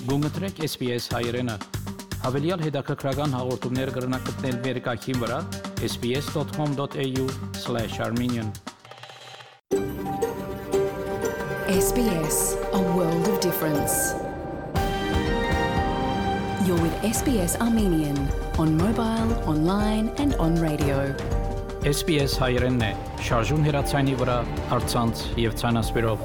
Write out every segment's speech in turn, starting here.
Գումտրեք SPS հայրենը։ Հավելյալ հետաքրքրական հաղորդումներ կգրնակցնել վերկայքին վրա sbs.com.au/armenian SBS, a world of difference. You're with SBS Armenian on mobile, online and on radio. SPS հայրենն է, շարժուն հեռացանի վրա, առցանց եւ ցանասպիրով։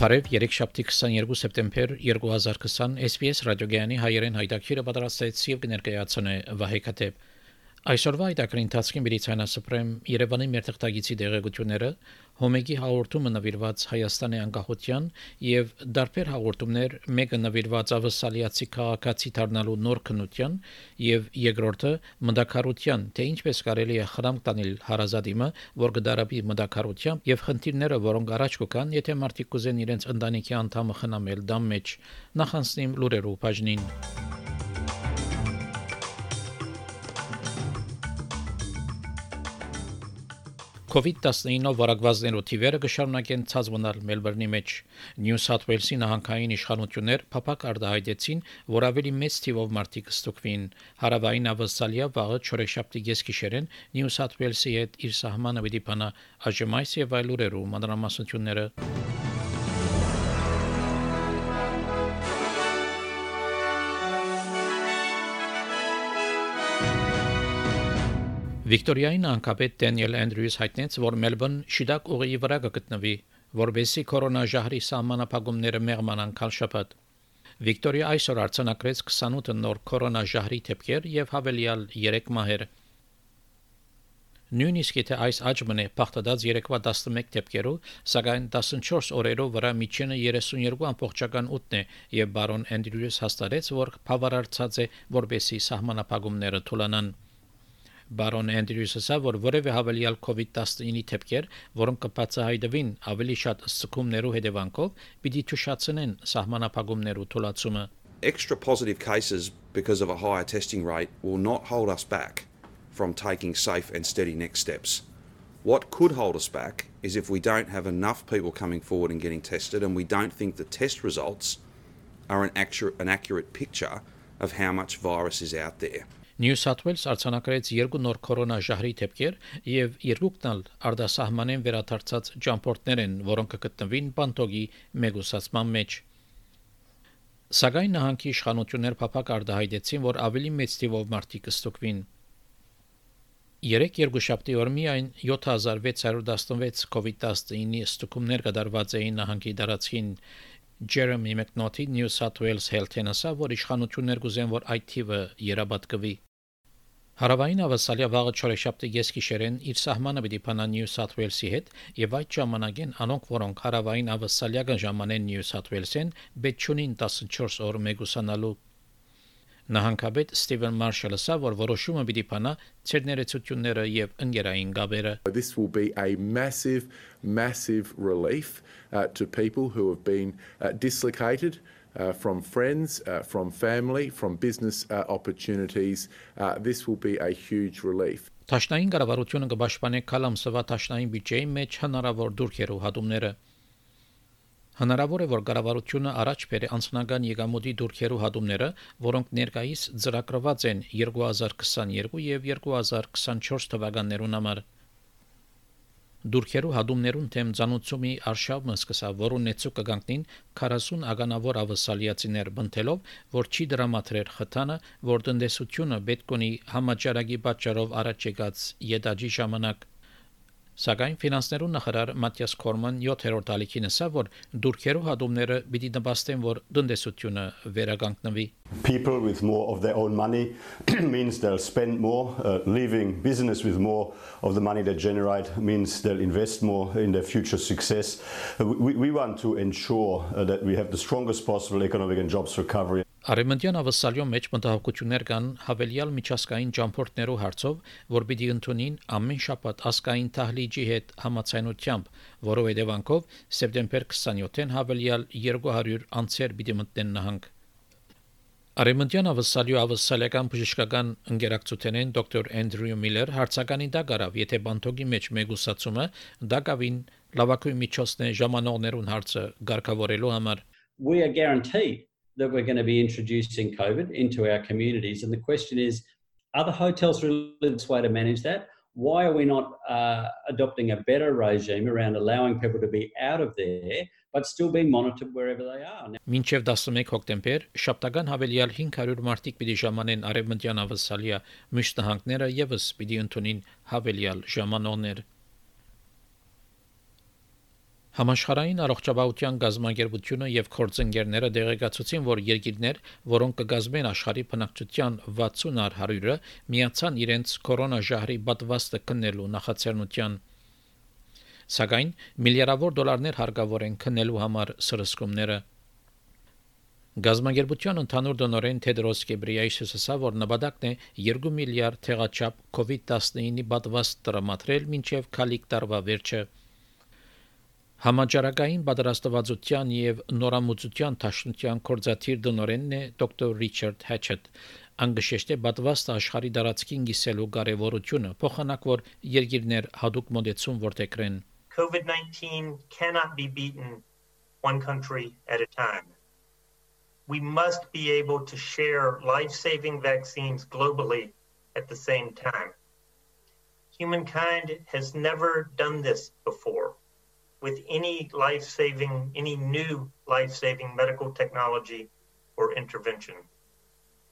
Բարև երեքշաբթի 22 սեպտեմբեր 2020 SPS ռադիոգյանի հայերեն հայտակիրը պատրաստեց եւ կներկայացնե Վահե Քաթեփ։ Այսօրվա հայտակրի ընթացքին Բրիտանիա Երևանի մերթղթագիտի դեղեցությունները Հոմեգի հաղորդումը նվիրված Հայաստանի անկախության եւ դարբեր հաղորդումներ մեկը նվիրված ավսալիացի քաղաքացի դառնալու նոր քննության եւ երկրորդը մնդակարության թե ինչպես կարելի է խրամ տանել հարազատիմը որ կդարաբի մնդակարությամբ եւ խնդիրները որոնք առաջ կգան եթե մարդիկ կուզեն իրենց ընտանիքի անդամը խնամել դամ մեջ նախանցնիմ լուրերու բաժնին COVID-19 վարակվածներու թիվերը կշարունակեն ցածմնալ Մելբուրնի մեջ։ Նյու Սաութ Ուելսի նահանգային իշխանություններ փափակ արտահայտեցին, որ ավելի մեծ թիվով մարդիկ կստուգվին։ Հարավային Ավստրալիա վաղը չորեքշաբթի գեսկիշերեն Նյու Սաութ Ուելսի հետ իր սահմանը պիտի բանա այժմայս եւ այլ ուրերու մանրամասնությունները։ Վիկտորիայի նահանգապետ Դենիել Անդրյուս հայտնեց, որ Մելբուրն շիդակ ուղիի վրա կգտնվի, որբեսի կորոնաժահրի սահմանափակումները մեղմանան քալշապատ։ Վիկտորիա այսօր արձանագրեց 28 նոր կորոնաժահրի դեպքեր եւ հավելյալ 3 մահեր։ Նույնիսկ եթե այս աճմն է փախտած երեկվա 11 դեպքերով, սակայն 14 օրերով վրա միջինը 32.8 է եւ բարոն Անդրյուս հաստատեց, որ բավարարած է, որբեսի սահմանափակումները թուլանան։ Բարոն Անդրյուսը ասա, որ որևէ հավելյալ COVID-19 դեպքեր, որոնք կբացահայտվին ավելի շատ սցկումներու հետևանքով, պիտի թուշացնեն սահմանափակումներու թուլացումը։ Extra positive cases because of a higher testing rate will not hold us back from taking safe and steady next steps. What could hold us back is if we don't have enough people coming forward and getting tested and we don't think the test results are an accurate picture of how much virus is out there. Նյու Սաութ Ուելս արձանագրեց 2 նոր կորոնաժահրի դեպքեր եւ 2-ն ալ արտասահմանեն վերադարձած ճամփորդներ են, որոնք կգտնվին բանտոգի մեգուսացման մեջ։ Սակայն նահանգի իշխանություններ փափակ արտահայտեցին, որ ավելի մեծ թիվով մարդիկ կստուգվին։ Երկուշաբթի օր միայն 7616 COVID-19 ստուգումներ կդարված էին նահանգի տարածքին։ Jeremy McNaughty New South Wales Health-ն ասա, որ իշխանություններ կուզեն, որ այդ թիվը երաբատկվի։ Հարավային Ավստրալիա վաղը չորեքշաբթի գեսկիշերեն իր սահմանը պիտի բանա Նյու Սաութ Ուելսի հետ եւ այդ ժամանակեն անոնք որոնք հարավային Ավստրալիա կժամանեն Նյու Սաութ Ուելսեն բեչունին 14 օր մեգուսանալու Նահանգապետ Ստիվեն Մարշալը ասա, որ որոշումը պիտի բանա ցերներեցությունները եւ ընկերային գաբերը։ This will be a massive relief to people who have been dislocated from friends, from family, from business opportunities. This will be a huge relief. Տաշնային կառավարությունը կպաշտպանի կալամսվա տաշնային բյուջեի մեջ հնարավոր դուրքերու հատումները։ Հնարավոր է, որ կառավարությունը առաջ բերի անձնական եկամուտի դուրքերու հատումները, որոնք ներկայիս ծրագրված են 2022 եւ 2024 թվականներուն համար։ Դուրքերու հատումներուն թեմ ցանուցումի արշավը սկսա, որոնց նեցու կգանքնին 40 ականավոր ավսալիացիներ բնթելով, որ չի դրամատրեր խթանը, որ տնտեսությունը պետք ունի համաճարակի պատճառով առաջ եկած յետաջի ժամանակ։ Սակայն ֆինանսներուն նախարար Մաթիաս Քորման 7-րդ ալիքին ասա, որ դուրքերու հատումները պիտի նպաստեն, որ տնտեսությունը վերականգնվի։ People with more of their own money means they'll spend more, leaving business with more of the money they generate means they'll invest more in their future success. We want to ensure that we have the strongest possible economic and jobs recovery. Արեմենտյան ավսալյո մեջ մտահոգություններ կան հավելյալ միջազգային ճամփորդներու հարցով, որ պիտի ընդունին ամեն շաբաթ ասկային թահլիջի հետ համացայնությամբ, որով հետևանքով սեպտեմբեր 27-ին հավելյալ 200 անձեր պիտի մտնեն նահանգ։ Արեմենտյան ավսալյո ավսալական բժշկական ընկերակցութենեն դոկտոր Անդրյու Միլլեր հարցականի դա գարավ, եթե բանտոգի մեջ մեգուսացումը դա կավին Լավագույն միջոցն է ժամանողներուն հարցը ղեկավարելու համար։ We are guaranteed that we're going to be introducing COVID into our communities. And the question is, are the hotels really the best way to manage that? Why are we not adopting a better regime around allowing people to be out of there, but still being monitored wherever they are? Մինչև 11 հոկտեմբեր շաբթական հավելյալ 500 մարդիկ պիտի ժամանեն արևմտյան Ավստրալիա, մյուս նահանգները եւս պիտի ընդունին հավելյալ ժամանողներ։ Համաշխարհային առողջապահության գազམ་ագերբությունը եւ կորձընկերները դեղեկացուցին, որ երկիրներ, որոնք կգազմեն աշխարհի բնակչության 60%-ը, միացան իրենց կորոնաժահրի պատվաստը քննելու նախաձեռնության։ Սակայն միլիարդավոր դոլարներ հարկավոր են քննելու համար սրսկումները։ Գազམ་ագերբության ընդհանուր դոնորեն Թեդրոս Գեբրիեյեսուսը ասավ, որ նպատակն է 2 միլիարդ թեղաչափ COVID-19-ի պատվաստ տրամադրել մինչև քալիք տարվա վերջը։ Համաճարակային պատրաստվածության եւ նորամուծության տաշնության կորզաթիր դոնորենն է դոկտոր Ռիչարդ Հեչետ։ Անգշեշտե պատվաստը աշխարհի դարածքին գիսելու կարևորությունը, փոխանակ որ երկիրներ հadoop մոդեցում որտեքրեն։ COVID-19 cannot be beaten one country at a time. We must be able to share life-saving vaccines globally at the same time. Humankind has never done this before with any new life-saving medical technology or intervention.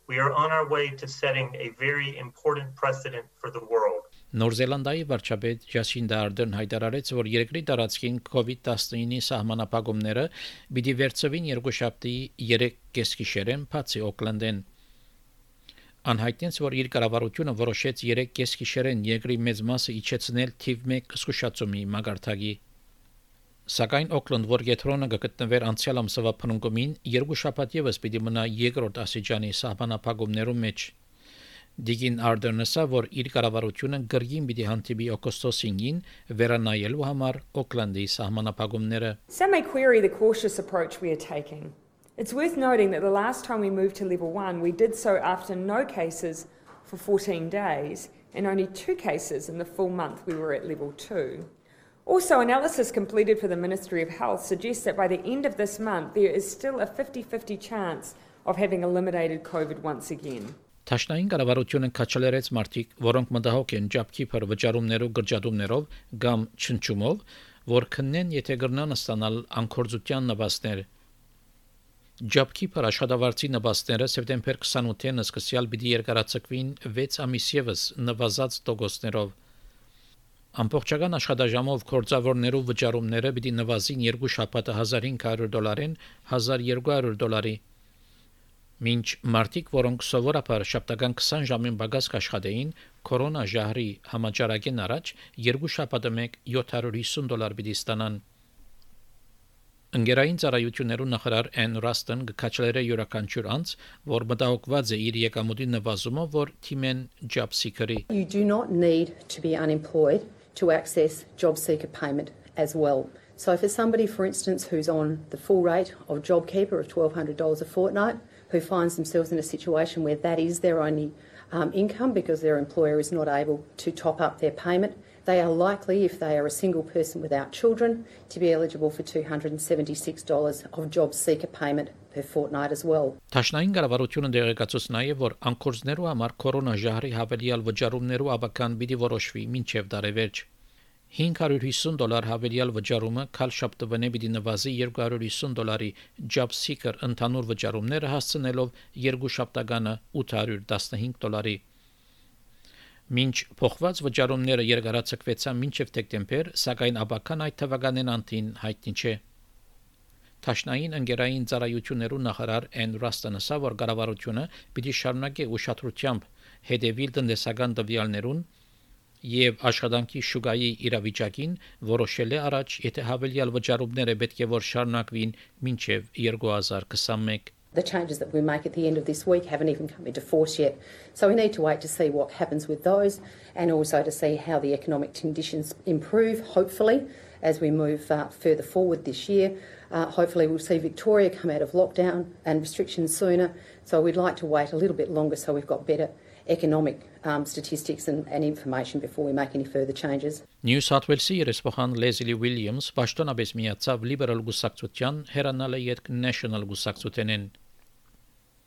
We are on our way to setting a very important precedent for the world. Նոր Զելանդիայի վարչապետ Ջասինդա Արդեն հայտարարեց, որ երկրի տարածքին COVID-19-ի սահմանափակումները պիտի վերցվին երկուշաբթի 3 գիշերեն բացի Օկլանդեն։ Անհայտնեց, որ իր կառավարությունը որոշեց 3 գիշերեն երկրի մեծ մասը իջեցնել թիվ 1 զսկուշացումի մագարտակի։ Սակայն Օկլանդ, որ գետրոնը գտնվեր անցյալ ամսվա փնունկումին, երկու շաբաթ եւս պիտի մնա երկրորդ ասիջանի սահմանափակումներում մեջ։ Դիգին Արդենը ասա, որ իր կառավարությունը գրգին պիտի հանդիպի օգոստոս 5-ին վերանայելու համար Օկլանդի սահմանափակումները։ Some may query the cautious approach we are taking. It's worth noting that the last time we moved to level 1, we did so after no cases for 14 days and only 2 cases in the full month we were at level 2. Also, analysis completed for the Ministry of Health suggests that by the end of this month, there is still a 50-50 chance of having eliminated COVID once again. Տաշնային կառավարությունը քաչալերեց մարդիկ, որոնք մտահոգ են ջաբքիփր վճարումներով գրջադումներով կամ չնչումով, որ քննեն, եթե կգրնան ստանալ անկորձության նպաստներ։ Ջաբքիփր աշխատավարձի նպաստները սեպտեմբեր 28-ին սկսյալ պիտի երկարացվին 6 ամիս եւս նվազած տոկոսներով։ Ամբողջական աշխատաժամով կորձավորներու վճարումները պիտի նվազին 2 շաբաթը $1,500-ին $1,200։ Մինչ մարդիկ, որոնք սովորաբար շաբթական 20 ժամին բագաս կաշխատեին, կորոնաժահրի համաճարակեն առաջ 2 շաբաթը մեկ $750 պիտի ստանան։ Ընկերային ծառայություններու նախարար Էն Ռաստեն գկաչլերը յուրաքանչյուր անձ, որ մտահոգված է իր եկամուտի նվազումով, որ թիմեն job seeker-ի։ You do not need to be unemployed to access job seeker payment as well. So for somebody, for instance, who's on the full rate of JobKeeper of $1,200 a fortnight, who finds themselves in a situation where that is their only income because their employer is not able to top up their payment, they are likely, if they are a single person without children, to be eligible for $276 of job seeker payment per fortnight as well. Տաշնային կառավարությունը դեղեկացուց նաև, որ անկորձներու համար կորոնաժահրի հավելյալ վճարումներու ավական պիտի որոշվի մինչև տարեվերջ։ $550 հավելյալ վճարումը քալ շաբթվանե պիտի նվազի $250 job seeker ընդհանուր վճարումները հասցնելով երկու շաբթականը $815։ Մինչ փոխված վճարումները երկարացկվեցան մինչև դեկտեմբեր, սակայն աբական այդ թվականին անտին հայտնի չէ։ Տաշնային ընկերային ծառայություններու նախարար Էն Ռաստանը ասա, որ կառավարությունը պիտի շարունակի ուշադրությամբ հետևել տնտեսական տվյալներուն եւ աշխատանքի շուկայի իրավիճակին, որոշել է առաջ, եթե հավելյալ վճարումները պետք է որ շարունակվին մինչև 2021։ The changes that we make at the end of this week haven't even come into force yet. So we need to wait to see what happens with those and also to see how the economic conditions improve, hopefully, as we move further forward this year. Hopefully we'll see Victoria come out of lockdown and restrictions sooner. So we'd like to wait a little bit longer so we've got better economic statistics and information before we make any further changes. Նյու Սաութ Ուելսի երեսփոխան Լեզլի Ուիլյամս պաշտոնապես միացավ լիբերալ գուսակցության հերանալը յետք National գուսակցութենեն։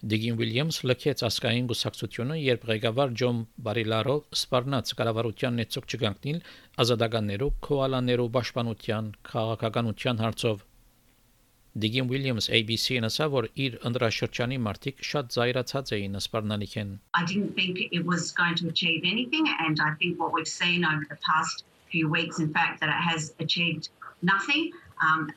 Դիգին Ուիլյամս լքեց ասկային գուսակցությունը, երբ ղեկավար Ջոն Բարիլարով սպառնաց կառավարության նեցուկ չգանքնիլ ազատականներու, քոալաներու պաշտպանության, քաղաքականության հարցով։ Դիգին Ուիլյամս ABC-ն ասավ, որ իր ընդրաշրջանի մարտիկ շատ զայրացած էին սպառնալիքեն։ I didn't think it was going to achieve anything, and I think what we've seen over the past few weeks, in fact, that it has achieved nothing.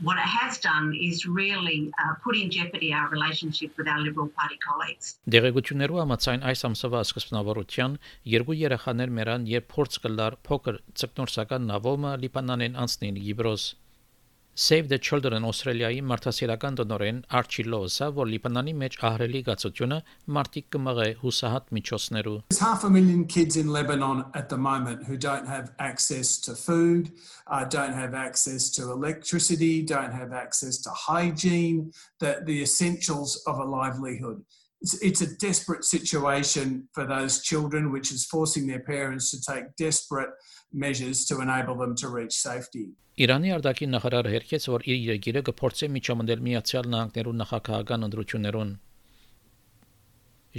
What it has done is really put in jeopardy our relationship with our Liberal Party colleagues. Դեղեցություններու համաձայն այս ամսվա սկզբնավորության երկու երեխաներ մեռան, երբ փորձ կլար փոքր ցկնորսական նավոմը Լիբանանեն անցնին Գիբրոս։ Save the Children Australia-ի մարդասիրական տնօրեն Արչի Լոուսը, որ Լիբանանի մեջ ահռելի գացությունը մարտիկ կմղե հուսահատ միջոցներու։ There's 500,000 kids in Lebanon at the moment who don't have access to food, don't have access to electricity, don't have access to hygiene, the essentials of a livelihood. It's a desperate situation for those children, which is forcing their parents to take desperate measures to enable them to reach safety. Իրանի արտաքին նախարարը հերքեց, որ իր երկիրը կփորձի միջամտել Միացյալ Նահանգներու նախագահական ընտրություններուն։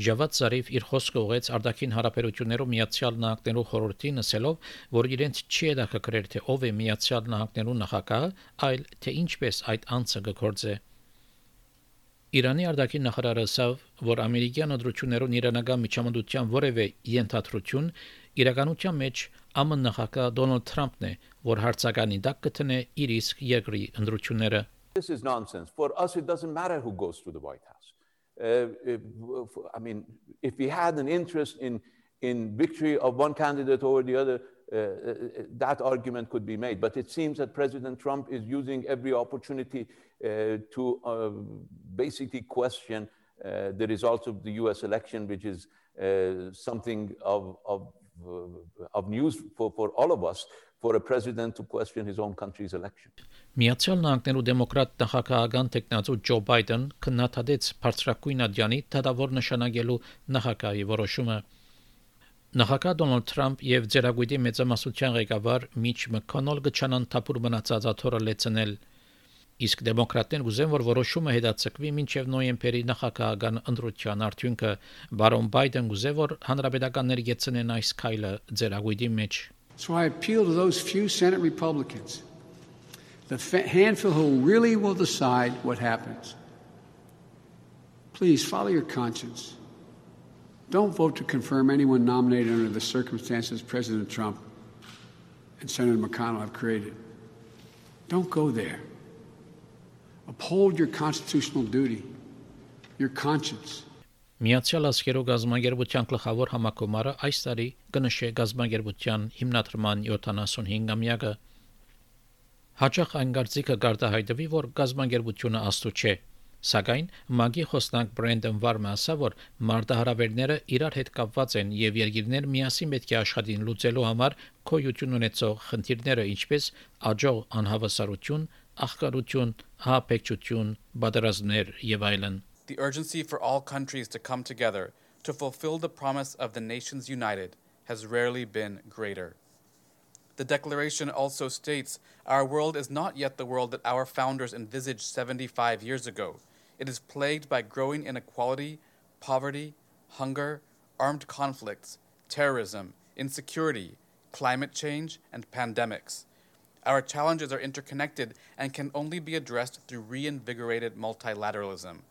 Ջավադ Զարիֆ իր խոսքը ուղղեց արտաքին հարաբերություններու Միացյալ Նահանգներու խորհրդին, ասելով, որ իրենց չի հետաքրքրել թե ով է Միացյալ Նահանգներու նախագահը, այլ թե ինչպես այդ անձը կգործե։ Իրանի արտաքին նախարարը ասավ, որ ամերիկյան ընտրություններուն իրանական միջամտության որևէ ենթադրություն իրականության մեջ ԱՄՆ նախագահ Դոնալդ Թրամփն է, որ հարցականի տակ կտնե իր իսկ երկրի ընտրությունները։ This is nonsense. For us, it doesn't matter who goes to the White House. I mean, if we had an interest in victory of one candidate over the other, that argument could be made. But it seems that President Trump is using every opportunity to basically question the results of the U.S. election, which is something of news for all of us, for a president to question his own country's election. Միացյալ Նահանգներու դեմոկրատ նախագահական տեխնացու Ջո Բայդեն քննադատեց բարձրակույն ադյանի դատավոր նշանակելու նախագահի որոշումը։ Նախագահ Դոնալդ Թրամփ եւ Ձերագույդի մեծամասնության ղեկավար Միչ Մաքոնոլ գճանան թափուր մնացած աթոռը լեցնել։ Իսկ դեմոկրատներն ուզեն, որ որոշումը հետաձգվի մինչև նոյեմբերի նախագահական ընտրության արդյունքը։ Բարոն Բայդեն ուզե, որ հանրապետականները գեցնեն այս քայլը Ձերագույդի մեջ։ So I appeal to those few Senate Republicans, the handful who really will decide what happens. Please follow your conscience. Don't vote to confirm anyone nominated under the circumstances President Trump and Senator McConnell have created. Don't go there. Uphold your constitutional duty, your conscience. Միացյալ Աշխարհի գազագերբության գլխավոր համակոմարը այս տարի կնշե գազագերբության հիմնադրման 75-ամյակը։ Հաճախ այն կարծիքը գարտահայտվի, որ գազագերբությունը աստու չէ, սակայն ՄԱԳ-ի խոսնակ Բրենդոն Վարմը ասավ, որ մարտահրավերները իրար հետ կապված են եւ երկիրներ միասին պետք է աշխատին լուծելու համար քոյություն ունեցող խնդիրները, ինչպես աջող անհավասարություն, աղքատություն, հապեկչություն, պատերազմներ եւ այլն։ The urgency for all countries to come together to fulfill the promise of the nations united has rarely been greater. The declaration also states our world is not yet the world that our founders envisaged 75 years ago. It is plagued by growing inequality, poverty, hunger, armed conflicts, terrorism, insecurity, climate change, and pandemics. Our challenges are interconnected and can only be addressed through reinvigorated multilateralism.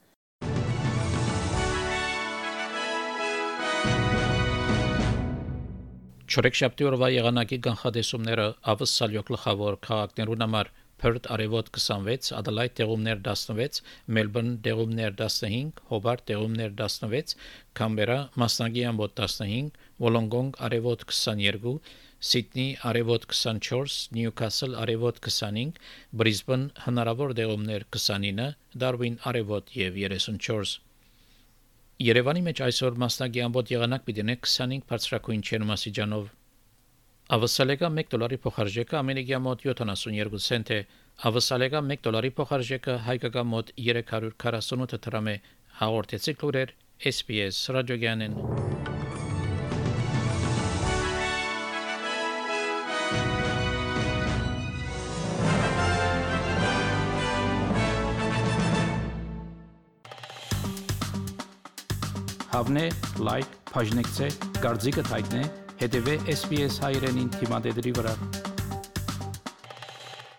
Չորեքշաբթի օրվա եղանակի կանխատեսումները ավսալյո գլխավոր քաղաքներուն համար Perth արևոտ 26, Adelaide տեղումներ 16, Melbourne տեղումներ 15, Hobart տեղումներ 16, Canberra մասնագի ամբոտ 15, Wollongong արևոտ 22, Sydney արևոտ 24, Newcastle արևոտ 25, Brisbane հնարավոր տեղումներ 29, Darwin արևոտ եւ 34։ Երևանի մեջ այսօր մասնագի ամբոտ եղանակ պիտի 25 բարձրակույն չերմասիջանով։ Ավսալեգա $1 փոխարժեքը ամերիկյա մոտ 72 سنت է։ Ավսալեգա $1 փոխարժեքը հայկական մոտ 348 դրամ է։ Հաղորդեցի լուրեր SPS ռադիոգյանեն։ Հավնե, լայք, բաժնեկցե, դարձիկը թայտնե, հետևե SPS հայրենին թիմադեդի վրա։